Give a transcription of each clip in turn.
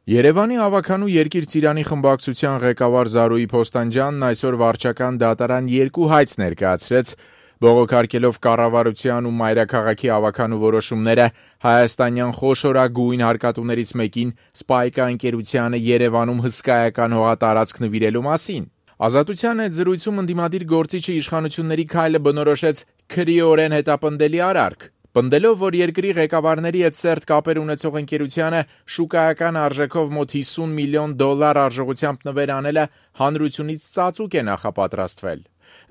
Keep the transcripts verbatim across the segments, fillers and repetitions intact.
Երևանի ավագանու Երկիր Ծիրանի խմբակցության ղեկավար Զարուհի Փոստանջյանն այսօր վարչական դատարան երկու հայց ներկայացրեց, բողոքարկելով կառավարության ու մայրաքաղաքի ավագանու որոշումները հայաստանյան խոշորագույն հարկատուներից մեկին Սպայկա ընկերությանը Երևանում հսկայական հողատարածք նվիրելու մասին։ Ազատության հետ զրույցում ընդդիմադիր գործիչը իշխանությունների քայլը բնորոշեց քրեորեն հետապնդելի արարք, պնդելով, որ երկրի ղեկավարների հետ սերտ կապեր ունեցող ընկերությանը շուկայական արժեքով մոտ հիսուն միլիոն դոլար արժողությամբ նվեր անելը հանրությունից ծածուկ է նախապատրաստվել։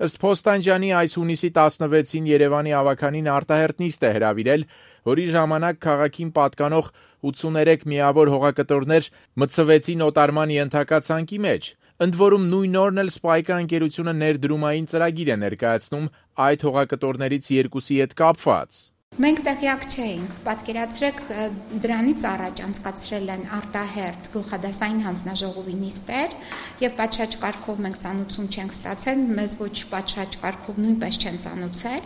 Ըստ Փոստանջյանի այս հունիսի տասնվեցին Երևանի ավագանին արտահերթ նիստ է հրավիրել, որի ժամանակ քաղաքին պատկանող ութսուներեք միավոր հողակտորներ մտցվեցին օտարման ենթակա ցանկի մեջ։ Ընդ որում նույն օրն էլ Սպայկա ընկերությունը ներդրումային ծրագիր է ներկայացնում այդ հողակտորներից երկուսի հետ կապված։ Մենք տեղյակ չէինք, պատկերացրեք դրանից առաջ անցկացրել են արտահերթ գլխադասային հանձնաժողովի նիստեր եւ պատշաճ կարգով մենք ծանուցում չենք ստացել, մեզ ոչ պատշաճ կարգով նույնպես չեն ծանուցել,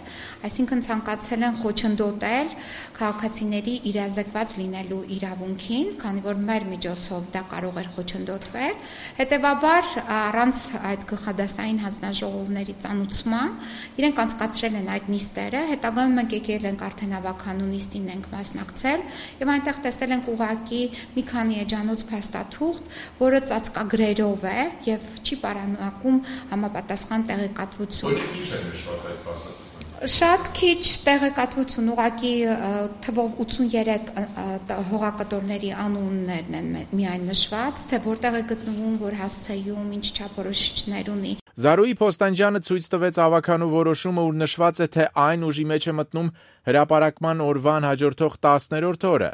այսինքն ցանկացել են խոչընդոտել քաղաքացիների իրազեկված լինելու իրավունքին, քանի որ մեր միջոցով դա կարող էր խոչընդոտվել, հետեւաբար առանց այդ գլխադասային հանձնաժողովների ծանուցման իրենք անցկացրել են այդ նիստերը, հետագայում մենք եկել ենք արդեն ավագանու նիստին ենք մասնակցել եւ այնտեղ տեսել ենք ուղակի մի քանի էջանոց փաստաթուղթ, որը ծածկագրերով է եւ չի պարունակում համապատասխան տեղեկատվություն։ Որի քիչ է նշված այդ փաստաթուղթը։ Շատ քիչ տեղեկատվություն, ուղղակի թվով ութսուներեք հողակտորների անուններն են միայն նշված, թե որտեղ է գտնվում, որ հասցեում, ինչ չափորոշիչներ ունի։ Զարուհի Փոստանջյանը ցույց տվեց ավագանու որոշումը, ուր նշված է, թե այն ուժի մեջ է մտնում հրապարակման օրվան հաջորդող տասներորդ օրը։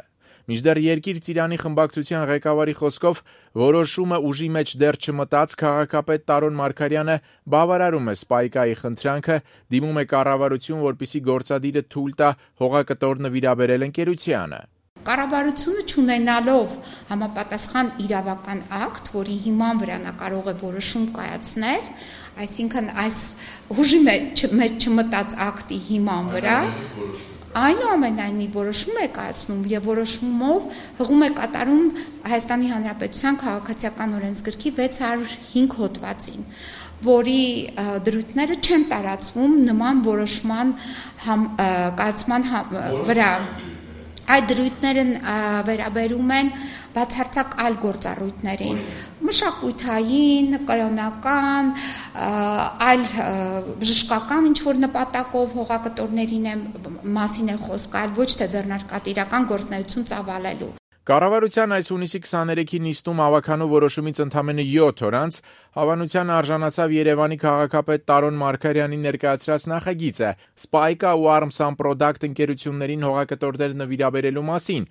Մինչդեռ Երկիր Ծիրանի խմբակցության ղեկավարի խոսքով որոշումը ուժի մեջ դեռ չմտած քաղաքապետ Տարոն Մարգարյանը բավարարում է Սպայկայի խնդրանքը, դիմում է կառավարություն, որպեսզի գործադիրը թույլ տա հողակտոր նվիրաբերել ընկերությանը։ Կառավարությունը չունենալով համապատասխան իրավական ակտ, որի հիման վրա նա կարող է որոշում կայացնել, այսինքն այս ուժի մեջ չմտած ակտի հիման վրա այնուամենայնիվ որոշում է կայացնում եւ որոշումով հղում է կատարում Հայաստանի Հանրապետության քաղաքացիական օրենսգրքի վեց հարյուր հինգ հոդվածին, որի դրույթները չեն տարածվում նման որոշման համ, կայացման համ, վրա։ Այդ դրույթները վերաբերում են բացարձակ այլ գործառույթներին, մշակութային, կրոնական, այլ բժշկական ինչ-որ նպատակով հողակտորներին մասին է խոսք, այլ ոչ թե ձեռնարկատիրական գործունեություն ծավալելու։ Կառավարության այս հունիսի քսաներեքի նիստում ավագանու որոշումից ընդամենը յոթ օր անց հավանության արժանացավ Երևանի քաղաքապետ Տարոն Մարգարյանի ներկայացրած նախագիծը Սպայկա ու Arms and Product ընկերություններին հողակտորներ նվիրաբերելու մասին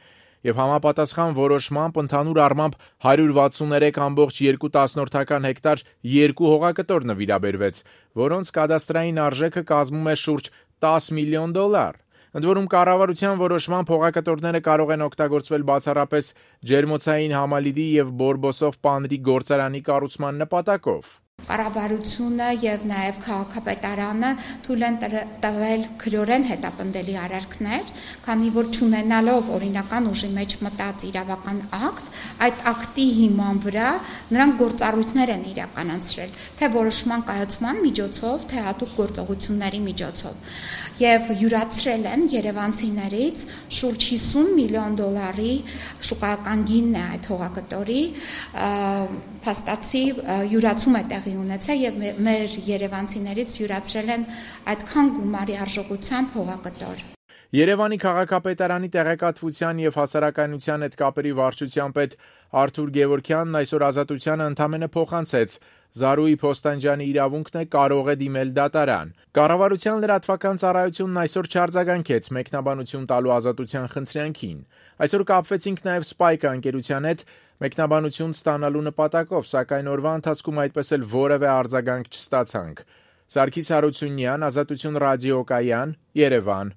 եւ համապատասխան որոշմամբ ընդհանուր առմամբ հարյուր վաթսուներեք ամբողջ երկու տասնորդական հեկտար երկու հողակտոր նվիրաբերվեց, որոնց կադաստրային արժեքը կազմում է շուրջ տասը միլիոն դոլար։ Ընդ որում կառավարության որոշմամբ հողակտորները կարող են օգտագործվել բացառապես ջերմոցային համալիրի եւ բորբոսով պանրի գործարանի կառուցման նպատակով։ Կառավարությունը եւ նաեւ քաղաքապետարանը թույլ են տվել քրեորեն հետապնդելի արարքներ, քանի որ չունենալով օրինական ուժի մեջ մտած իրավական ակտ, այդ ակտի հիման վրա նրանք գործառույթներ են իրականացրել, թե որոշման կայացման միջոցով, թե հատուկ գործողությունների միջոցով, եւ յուրացրել են երևանցիներից շուրջ հիսուն միլիոն դոլարի շուկայական գինն է այդ հողակտորի, փաստացի յուրացում է տեղի ունեցել եւ մեր երևանցիներից յուրացրել են այդքան գումարի արժողությամբ հողակտոր։ Երևանի քաղաքապետարանի տեղեկատվության եւ հասարակայնության հետ կապերի վարչության պետ Արթուր Գևորգյանն այսօր Ազատությանը ընդամենը փոխանցեց Զարուհի Փոստանջյանի իրավունքն է կարող է դիմել դատարան։ Կառավարության լրատվական ծառայությունն այսօր չարձագանքեց մեկնաբանություն տալու Ազատության խնդրանքին։ Այսօր կապվեցինք նաեւ Սպայկա ընկերության հետ մեկնաբանություն ստանալու նպատակով, սակայն օրվա ընթացքում այդպես էլ որևէ արձագանք չստացանք։ Սարգիս Հարությունյան, Ազատություն ռադիոկայան, Երևան։